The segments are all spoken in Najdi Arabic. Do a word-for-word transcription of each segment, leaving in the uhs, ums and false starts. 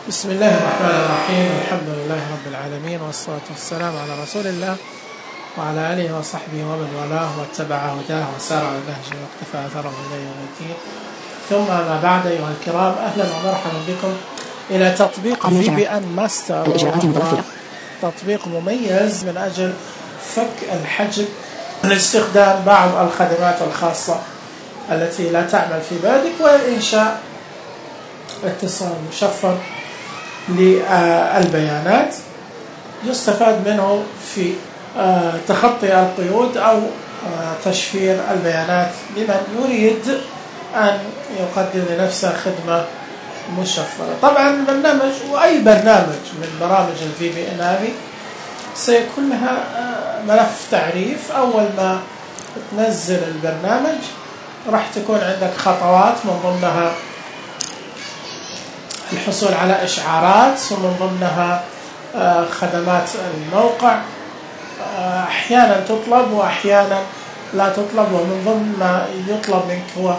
بسم الله الرحمن الرحيم. الحمد لله رب العالمين، والصلاة والسلام على رسول الله وعلى آله وصحبه ومن والاه واتبع هداه وسار على نهجه واقتفى أثره إلى يوم الدين. ثم ما بعد، أيها الكرام، أهلا ومرحبا بكم إلى تطبيق في بي إن ماستر، تطبيق مميز من أجل فك الحجب لاستخدام بعض الخدمات الخاصة التي لا تعمل في بلدك، وإنشاء اتصال مشفر للبيانات يستفاد منه في تخطي القيود أو تشفير البيانات لمن يريد أن يقدم لنفسه خدمة مشفرة. طبعا البرنامج وأي برنامج من برامج الفي بي إن هذه سيكون لها ملف تعريف. أول ما تنزل البرنامج راح تكون عندك خطوات، من ضمنها الحصول على إشعارات، ومن ضمنها خدمات الموقع أحيانا تطلب وأحيانا لا تطلب، ومن ضمن ما يطلب منك هو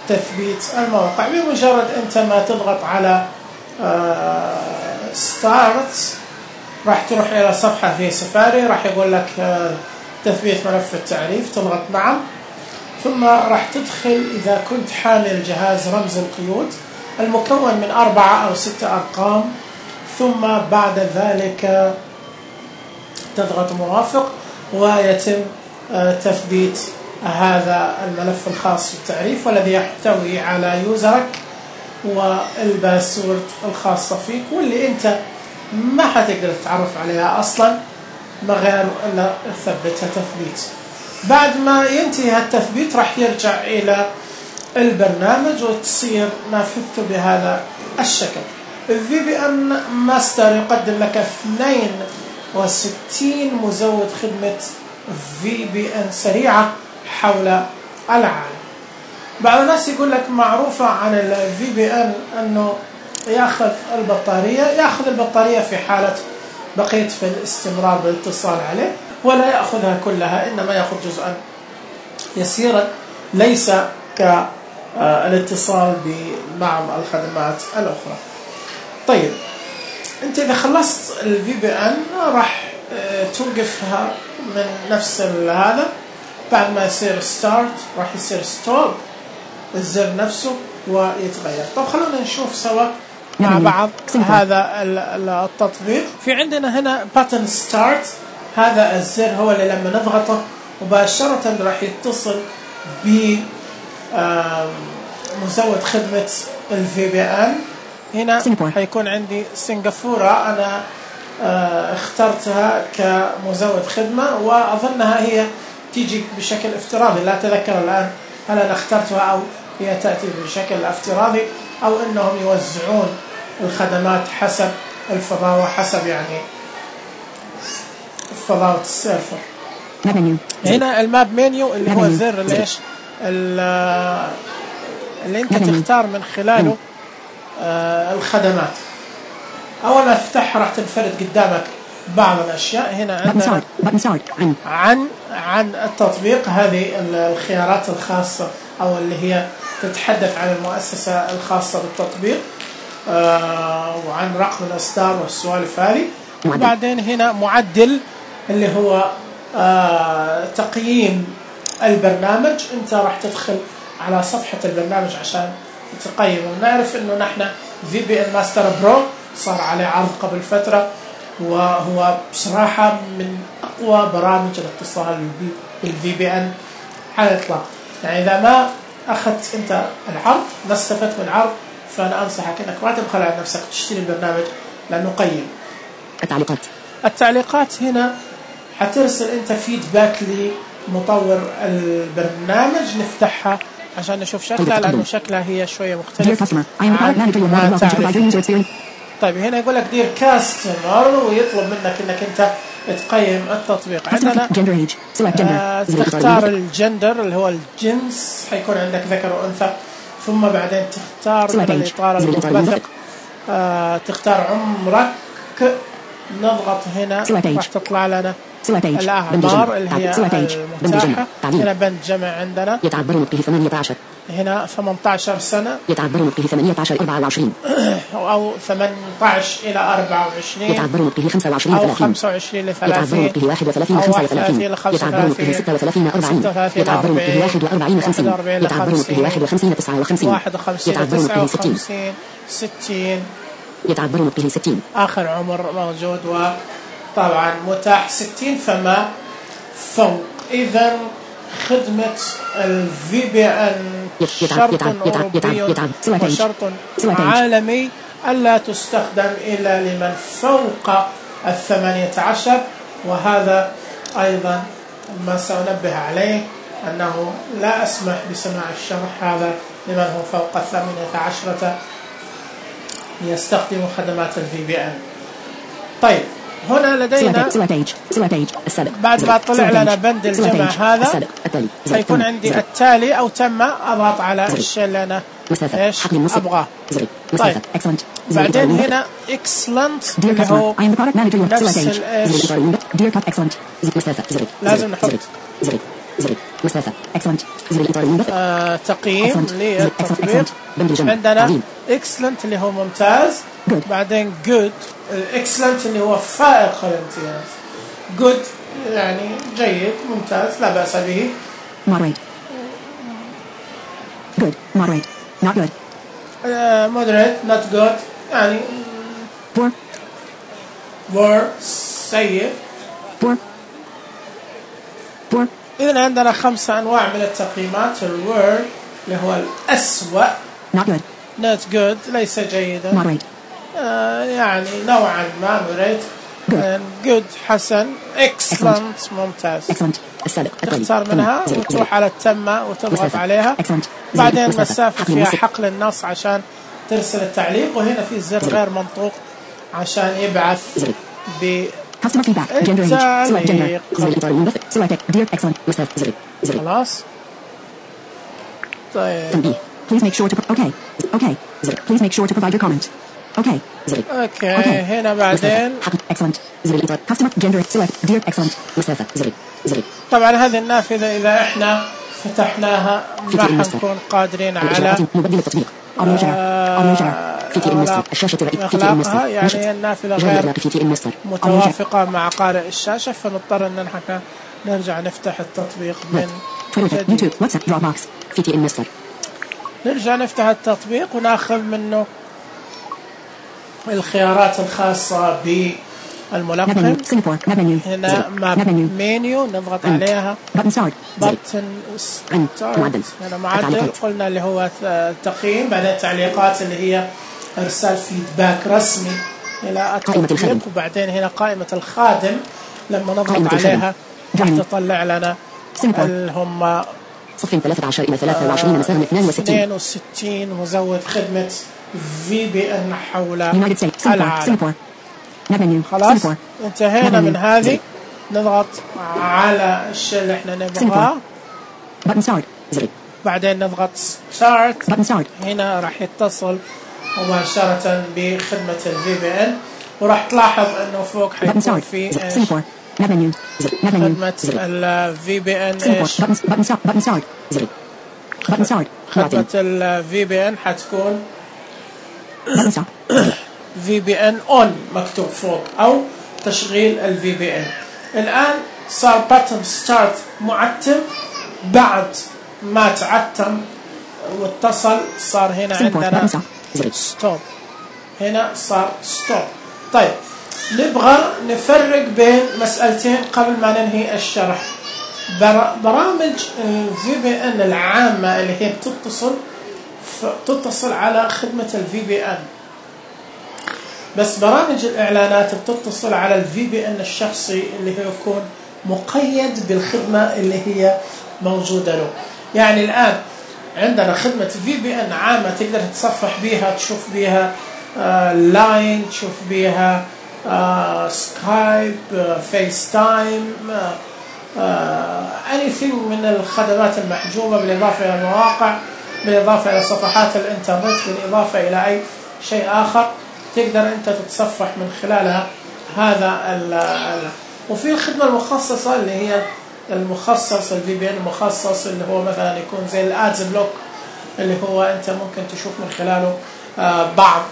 تثبيت الموقع. بمجرد أنت ما تضغط على ستارت راح تروح إلى صفحة في سفاري، راح يقول لك تثبيت ملف التعريف، تضغط نعم، ثم راح تدخل إذا كنت حامل جهاز رمز القيود المكون من أربعة أو ستة أرقام، ثم بعد ذلك تضغط موافق ويتم تثبيت هذا الملف الخاص بالتعريف، والذي يحتوي على يوزرك والباسورد الخاصة فيك، واللي أنت ما حتقدر تتعرف عليها أصلا ما غير إلا تثبتها تثبيت. بعد ما ينتهي التثبيت راح يرجع إلى البرنامج وتصير نافذته بهذا الشكل. الفي بي إن ماستر يقدم لك اثنين وستين مزود خدمة في بي إن سريعة حول العالم. بعض الناس يقول لك معروفة عن الفي بي إن أنه يأخذ البطارية يأخذ البطارية في حالة بقيت في الاستمرار بالاتصال عليه، ولا يأخذها كلها، إنما يأخذ جزءا يسيرا ليس كالاتصال ببعض الخدمات الأخرى. طيب، أنت إذا خلصت الفي بي إن راح توقفها من نفس هذا، بعد ما يصير ستارت راح يصير ستوب الزر نفسه ويتغير. طب خلونا نشوف سوا مع بعض هذا التطبيق. في عندنا هنا باتن ستارت، هذا الزر هو اللي لما نضغطه مباشرة راح يتصل ب مزود خدمة الفي بي إن. هنا حيكون عندي سنغافورة، أنا اخترتها كمزود خدمة، وأظنها هي تيجي بشكل افتراضي، لا أتذكر الآن هل أنا اخترتها أو هي تأتي بشكل افتراضي، أو أنهم يوزعون الخدمات حسب الفضاوة، حسب يعني فضاوة السيرفر. هنا الماب منيو اللي هو الزر اللي إيش اللي أنت تختار من خلاله آه الخدمات. أول ما تفتحها راح تنفرد قدامك بعض الأشياء. هنا عندنا عن عن التطبيق، هذه الخيارات الخاصة أو اللي هي تتحدث عن المؤسسة الخاصة بالتطبيق، آه وعن رقم الإصدار والسوالف هذه. وبعدين هنا معدل اللي هو آه تقييم البرنامج. أنت راح تدخل على صفحة البرنامج عشان تقيم. ونعرف إنه نحن في بي إن ماستر برو صار عليه عرض قبل فترة، وهو بصراحة من أقوى برامج الاتصال بالفي بي إن على الإطلاق. يعني إذا ما أخذت أنت العرض، ما استفدت من العرض، فأنا أنصحك إنك ما تبخل على نفسك تشتري البرنامج لأنه قيم. التعليقات التعليقات هنا حترسل أنت فيدباك لمطور البرنامج. نفتحها عشان نشوف شكلها، لأنه شكلها هي شوية مختلف عن تعريف. طيب، هنا يقول لك دير كاستمر، ويطلب منك انك انت تقيم التطبيق. عندنا آه تختار الجندر اللي هو الجنس، حيكون عندك ذكر وانثى، ثم بعدين تختار من الاطار المتفق، آه تختار عمرك، نضغط هنا راح تطلع لنا الأعمار اللي هي المتاحة. هنا بند جمع عندنا، هنا ثمانية عشر سنة يتعذر نطقه ثمانية عشر إلى أربعة وعشرين أو ثمانية عشر إلى أربعة وعشرين يتعذر نطقه خمسة وعشرين أو ثلاثين خمسة وعشرين إلى ثلاثين يتعذر نطقه واحد وثلاثين خمسة وثلاثين يتعذر نطقه ستة وثلاثين أربعين يتعذر نطقه واحد وأربعين خمسين يتعذر نطقه واحد وخمسين تسعة وخمسين يتعذر نطقه ستين ستين يتعذر نطقه ستين آخر عمر موجود وطبعا متاح ستين فما فوق. إذا خدمة الفي بي إن شرط أوروبي وشرط عالمي ألا تستخدم إلا لمن فوق الثمانية عشر، وهذا أيضا ما سأنبه عليه أنه لا أسمح بسماع الشرح هذا لمن هو فوق الثمانية عشرة يستخدم خدمات الفي بي إن. طيب هنا لدينا بعد ما طلع لنا بند الجمع هذا سيكون عندي التالي أو تم، أضغط على الشيء اللي أنا إيش أبغاه. طيب بعدين هنا excellent اللي هو نفس الإيش لازم نحط آه تقييم للتطبيق. عندنا excellent اللي هو ممتاز، بعدين good excellent اللي هو فائق الامتياز، good يعني جيد ممتاز لا بأس به، moderate good moderate not good uh, moderate not good يعني poor poor سيء poor poor. إذن عندنا خمسة أنواع من التقييمات. الوور اللي هو الأسوأ not good not good ليس جيدا moderate آه يعني نوعا ما moderate good, good حسن excellent, excellent. ممتاز excellent. تختار منها وتروح على التمة وتضغط عليها excellent. بعدين مسافة فيها حقل النص عشان ترسل التعليق، وهنا في زر غير منطوق عشان يبعث ب customer feedback gender age select gender select dear excellent خلاص. طيب please make sure to okay okay please make sure to provide your comment okay اوكي okay. هنا بعدين excellent customer gender select dear excellent. طبعا هذه النافذة إذا احنا فتحناها ما حنكون قادرين على إغلاقها، يعني النافذة غير متوافقة مع قارئ الشاشة، فنضطر أن نحن نرجع نفتح التطبيق من جديد. نرجع نفتح التطبيق وناخذ منه الخيارات الخاصة بالملقن. هنا ماب مينيو نضغط عليها بutton start هنا معدل قلنا اللي هو التقييم، بعدين تعليقات اللي هي إرسال فيدباك رسمي إلى التطبيق، وبعدين هنا قائمة الخادم لما نضغط عليها راح تطلع لنا اللي هم صفين ثلاثة عشر إلى ثلاثة وعشرين مساهم اثنين وستين اثنين وستين مزود خدمة في بي إن حول العالم. خلاص انتهينا من هذه. نضغط على الشيء اللي احنا نبغاه بعدين نضغط start. هنا راح يتصل مباشرة بخدمة الفي بي إن، وراح تلاحظ انه فوق حيكون في خدمة الفي بي إن ايش خدمة الفي بي إن حتكون في بي إن on مكتوب فوق أو تشغيل الفي بي إن. الآن صار باتن ستارت معتم، بعد ما تعتم واتصل صار هنا عندنا ستوب، هنا صار ستوب. طيب نبغى نفرق بين مسألتين قبل ما ننهي الشرح. برامج الفي بي إن العامة اللي هي بتتصل تتصل على خدمة الفي بي إن، بس برامج الإعلانات بتتصل على الفي بي إن الشخصي اللي هو يكون مقيد بالخدمة اللي هي موجودة له. يعني الآن عندنا خدمة في بي إن عامة تقدر تتصفح بيها، تشوف بيها آه لاين، تشوف بيها آه سكايب، آه فيس تايم، آه آه anything من الخدمات المحجوبة، بالإضافة إلى المواقع، بالإضافة إلى صفحات الإنترنت، بالإضافة إلى أي شيء آخر تقدر أنت تتصفح من خلالها هذا ال ال وفي الخدمة المخصصة اللي هي المخصص الفي بي إن المخصص اللي هو مثلا يكون زي الادز بلوك اللي هو أنت ممكن تشوف من خلاله بعض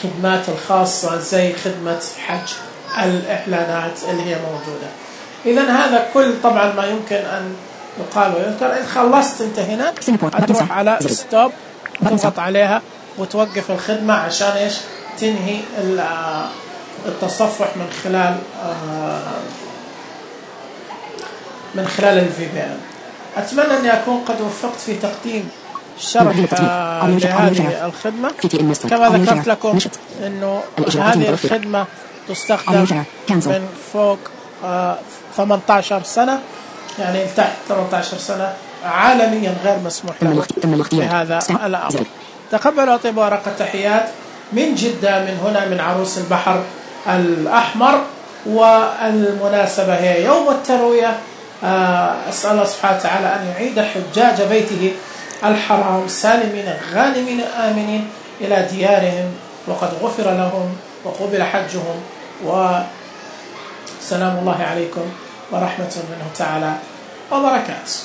الخدمات الخاصة زي خدمة حج الإعلانات اللي هي موجودة. إذن هذا كل طبعا ما يمكن أن يقال ويذكر. إذا خلصت أنت هنا تروح على ستوب تضغط عليها وتوقف الخدمة عشان إيش تنهي التصفح من خلال من خلال الفي بي إن. أتمنى أني أكون قد وفقت في تقديم شرح لهذه الخدمة. كما ذكرت لكم أنه هذه الخدمة تستخدم من فوق ثمانية عشر سنة، يعني تحت ثمانية عشر سنة عالميا غير مسموح له بهذا الأمر. تقبلوا أطيب ورق التحيات من جدة، من هنا من عروس البحر الأحمر، والمناسبة هي يوم التروية. أسأل الله سبحانه وتعالى أن يعيد حجاج بيته الحرام سالمين غانمين آمنين إلى ديارهم، وقد غفر لهم وقبل حجهم، وسلام الله عليكم ورحمة منه تعالى وبركاته.